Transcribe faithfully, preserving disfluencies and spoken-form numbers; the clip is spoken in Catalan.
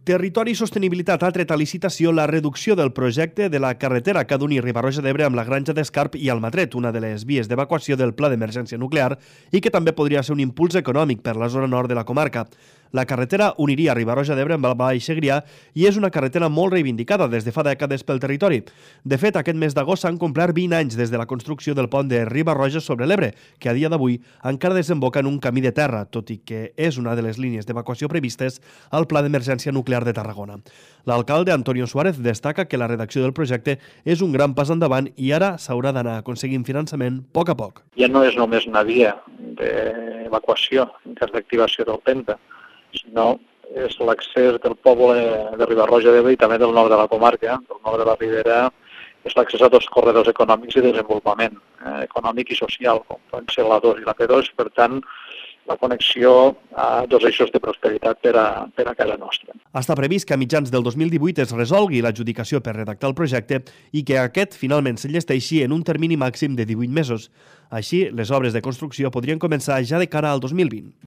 Territori i Sostenibilitat ha tret a licitació la reducció del projecte de la carretera que ha d'unir Riba-roja d'Ebre amb la Granja d'Escarp i Almatret, una de les vies d'evacuació del Pla d'Emergència Nuclear i que també podria ser un impuls econòmic per la zona nord de la comarca. La carretera uniria Riba-roja d'Ebre amb el Baix Segrià i és una carretera molt reivindicada des de fa dècades pel territori. De fet, aquest mes d'agost s'han complert vint anys des de la construcció del pont de Riba-roja sobre l'Ebre, que a dia d'avui encara desemboca en un camí de terra, tot i que és una de les línies d'evacuació previstes al Pla d'Emergència Nuclear de Tarragona. L'alcalde Antonio Suárez destaca que la redacció del projecte és un gran pas endavant i ara s'haurà d'anar aconseguint finançament a poc a poc. Ja no és només una via d'evacuació, d'activació del Penta, sinó és l'accés del poble de Riba-roja d'Ebre i també del nord de la comarca, del nord de la Ribera, és l'accés a dos corredors econòmics i de desenvolupament eh, econòmic i social, com poden ser la dos i la P dos, per tant, la connexió a dos eixos de prosperitat per a, per a casa nostra. Està previst que a mitjans del dos mil divuit es resolgui l'adjudicació per redactar el projecte i que aquest finalment s'enllesteixi en un termini màxim de divuit mesos. Així, les obres de construcció podrien començar ja de cara al dos mil vint.